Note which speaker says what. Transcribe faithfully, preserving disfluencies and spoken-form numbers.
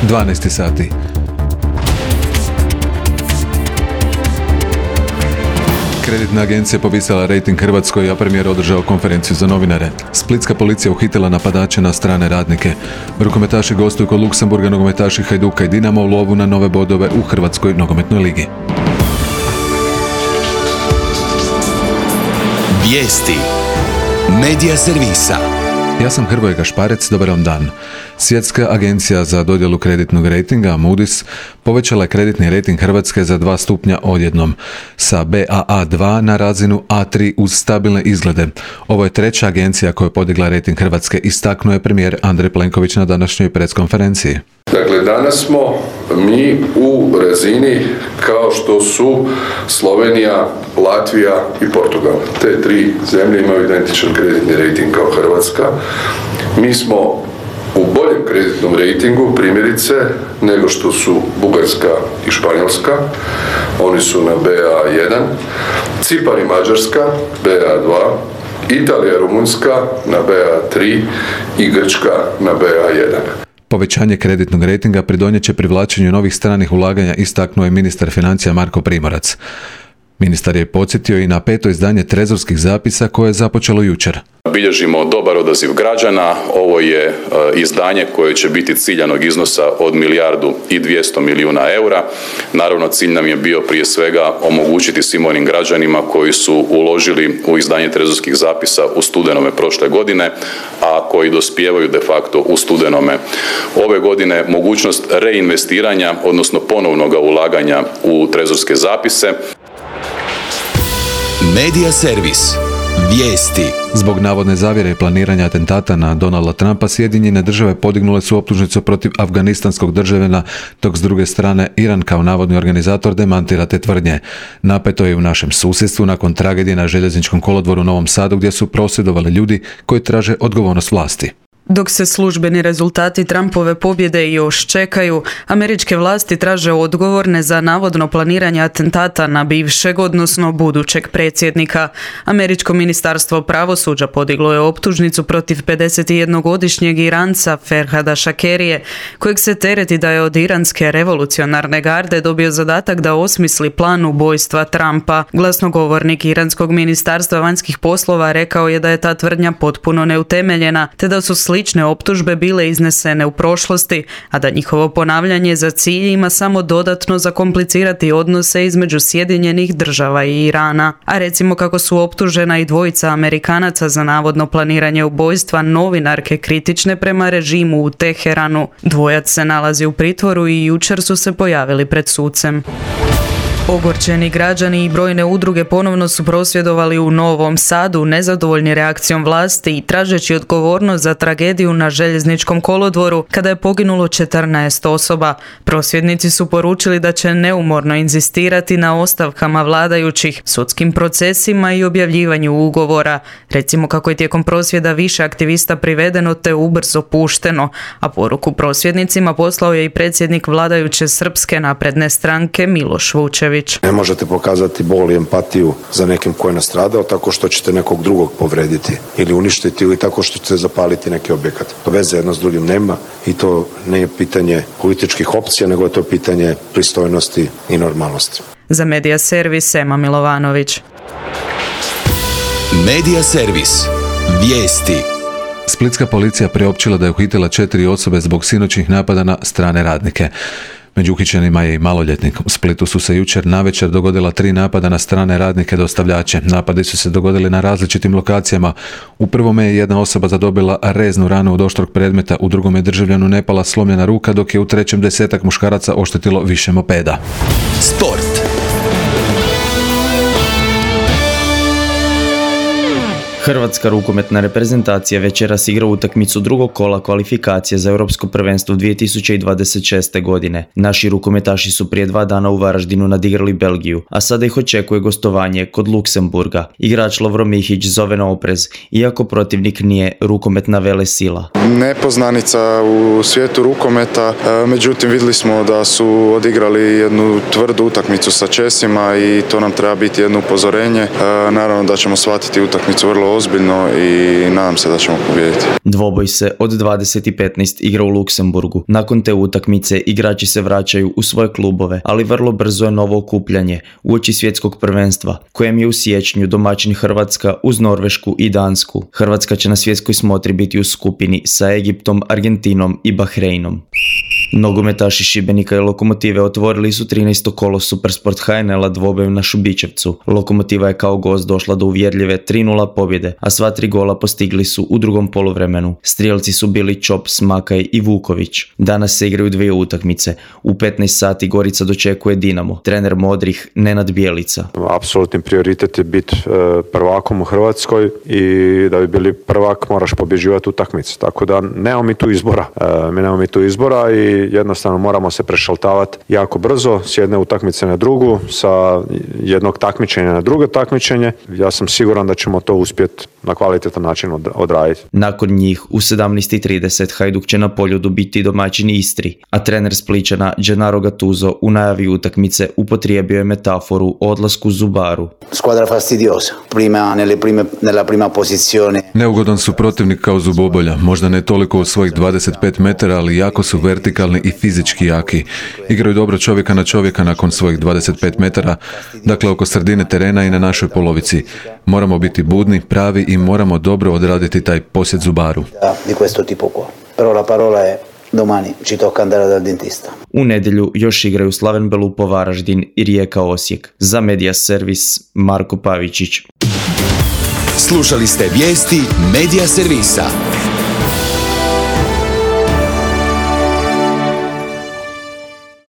Speaker 1: dvanaest sati. Kreditna agencija povisila rejting Hrvatskoj, a premijer održao konferenciju za novinare. Splitska policija uhitila napadače na strane radnike. Rukometaši gostuju kod Luksemburga, nogometaši Hajduka i Dinama u lovu na nove bodove u Hrvatskoj nogometnoj ligi.
Speaker 2: Vijesti Medija servisa.
Speaker 1: Ja sam Hrvoje Gašparec, dobar vam dan. Svjetska agencija za dodjelu kreditnog rejtinga, Moody's, povećala je kreditni rejting Hrvatske za dva stupnja odjednom, sa B A A dva na razinu A tri uz stabilne izglede. Ovo je treća agencija koja je podigla rejting Hrvatske, istaknuo je premijer Andrej Plenković na današnjoj preskonferenciji.
Speaker 3: Dakle, danas smo mi u razini kao što su Slovenija, Latvija i Portugal. Te tri zemlje imaju identičan kreditni rejting kao Hrvatska. Mi smo u boljem kreditnom rejtingu, primjerice, nego što su Bugarska i Španjolska. Oni su na B A jedan, Cipar i Mađarska B A dva, Italija i Rumunjska na B A tri i Grčka na B A jedan.
Speaker 1: Povećanje kreditnog rejtinga pridonijet će privlačenju novih stranih ulaganja, istaknuo je ministar financija Marko Primorac. Ministar je podsjetio i na peto izdanje trezorskih zapisa koje je započelo jučer.
Speaker 4: Bilježimo dobar odaziv građana. Ovo je izdanje koje će biti ciljanog iznosa od milijardu i dvjesto milijuna eura. Naravno, cilj nam je bio prije svega omogućiti svim onim građanima koji su uložili u izdanje trezorskih zapisa u studenome prošle godine, a koji dospijevaju de facto u studenome ove godine, mogućnost reinvestiranja, odnosno ponovnog ulaganja u trezorske zapise.
Speaker 2: Medija servis. Vijesti.
Speaker 1: Zbog navodne zavjere i planiranja atentata na Donalda Trumpa, Sjedinjene države podignule su optužnicu protiv afganistanskog državljana, dok s druge strane Iran kao navodni organizator demantira te tvrdnje. Napeto je u našem susjedstvu nakon tragedije na željezničkom kolodvoru u Novom Sadu, gdje su prosvjedovali ljudi koji traže odgovornost vlasti.
Speaker 5: Dok se službeni rezultati Trumpove pobjede još čekaju, američke vlasti traže odgovorne za navodno planiranje atentata na bivšeg, odnosno budućeg predsjednika. Američko ministarstvo pravosuđa podiglo je optužnicu protiv pedesetjednogodišnjeg Iranca Ferhada Šakerije, kojeg se tereti da je od iranske revolucionarne garde dobio zadatak da osmisli plan ubojstva Trumpa. Glasnogovornik iranskog ministarstva vanjskih poslova rekao je da je ta tvrdnja potpuno neutemeljena, te da su slične optužbe bile iznesene u prošlosti, a da njihovo ponavljanje za cilj ima samo dodatno zakomplicirati odnose između Sjedinjenih država i Irana. A recimo kako su optužena i dvojica Amerikanaca za navodno planiranje ubojstva novinarke kritične prema režimu u Teheranu. Dvojac se nalazi u pritvoru i jučer su se pojavili pred sucem. Ogorčeni građani i brojne udruge ponovno su prosvjedovali u Novom Sadu, nezadovoljni reakcijom vlasti i tražeći odgovornost za tragediju na željezničkom kolodvoru kada je poginulo četrnaest osoba. Prosvjednici su poručili da će neumorno inzistirati na ostavkama vladajućih, sudskim procesima i objavljivanju ugovora. Recimo kako je tijekom prosvjeda više aktivista privedeno te ubrzo pušteno, a poruku prosvjednicima poslao je i predsjednik vladajuće Srpske napredne stranke Miloš Vučević.
Speaker 6: Ne možete pokazati bol i empatiju za nekim ko je nastradao tako što ćete nekog drugog povrediti ili uništiti ili tako što ćete zapaliti neki objekat. To veze jedno s drugim nema i to nije pitanje političkih opcija, nego je to pitanje pristojnosti i normalnosti.
Speaker 5: Za Medija servis Ema Milovanović.
Speaker 2: Medija servis. Vijesti.
Speaker 1: Splitska policija priopćila da je uhitila četiri osobe zbog sinoćnih napada na strane radnike. Među uhićenima je i maloljetnik. U Splitu su se jučer navečer dogodila tri napada na strane radnike dostavljače. Napadi su se dogodili na različitim lokacijama. U prvome je jedna osoba zadobila reznu ranu od oštrog predmeta, u drugom je državljanu Nepala slomljena ruka, dok je u trećem desetak muškaraca oštetilo više mopeda.
Speaker 2: Sport.
Speaker 7: Hrvatska rukometna reprezentacija večeras igra utakmicu drugog kola kvalifikacije za Europsko prvenstvo dvije tisuće dvadeset šeste. godine. Naši rukometaši su prije dva dana u Varaždinu nadigrali Belgiju, a sada ih očekuje gostovanje kod Luksemburga. Igrač Lovro Mihić zove na oprez, iako protivnik nije rukometna velesila.
Speaker 8: Nepoznanica u svijetu rukometa, međutim vidjeli smo da su odigrali jednu tvrdu utakmicu sa Česima i to nam treba biti jedno upozorenje. Naravno da ćemo shvatiti utakmicu vrlo ozbiljno i nadam se da ćemo pobijediti.
Speaker 7: Dvoboj se od dvadeset i petnaest igra u Luksemburgu. Nakon te utakmice igrači se vraćaju u svoje klubove, ali vrlo brzo je novo okupljanje uoči svjetskog prvenstva, kojem je u siječnju domaćin Hrvatska uz Norvešku i Dansku. Hrvatska će na svjetskoj smotri biti u skupini sa Egiptom, Argentinom i Bahreinom. Nogometaši Šibenika i Lokomotive otvorili su trinaesto kolo Supersport H N L-a dvobojem na Šubićevcu. Lokomotiva je kao gost došla do uvjerljive tri nula pobjede, a sva tri gola postigli su u drugom poluvremenu. Strijelci su bili Čop, Smakaj i Vuković. Danas se igraju dvije utakmice. U petnaest sati Gorica dočekuje Dinamo. Trener modrih Nenad Bjelica.
Speaker 6: Apsolutni prioritet je biti prvakom u Hrvatskoj i da bi bili prvak moraš pobjeđivati utakmice. Tako da nemamo mi tu izbora. Mi nemamo mi tu izbora i jednostavno moramo se prešaltavati jako brzo s jedne utakmice na drugu, sa jednog takmičenja na drugo takmičenje. Ja sam siguran da ćemo to uspjeti na kvalitetan način odraditi.
Speaker 7: Nakon njih u sedamnaest i trideset Hajduk će na Poljudu biti domaćin Istri, a trener Spličana Gennaro Gattuso u najavi utakmice upotrijebio je metaforu o odlasku Zubaru.
Speaker 9: Squadra fastidiosa, prima nelle prime nella prima posizione.
Speaker 1: Neugodan su protivnik kao zubobolja, možda ne toliko u svojih dvadeset pet metara, ali jako su vertikalni i fizički jaki. Igraju dobro čovjeka na čovjeka nakon svojih dvadeset pet metara, dakle oko sredine terena i na našoj polovici. Moramo biti budni, pravi i moramo dobro odraditi taj posjet Zubaru.
Speaker 9: Di questo tipo qua. Però la parola è domani ci tocca andare dal dentista.
Speaker 7: U nedjelju još igraju Slaven Belupo Varaždin i Rijeka Osijek. Za Media Servis Marko Pavičić.
Speaker 2: Slušali ste vijesti Media Servisa.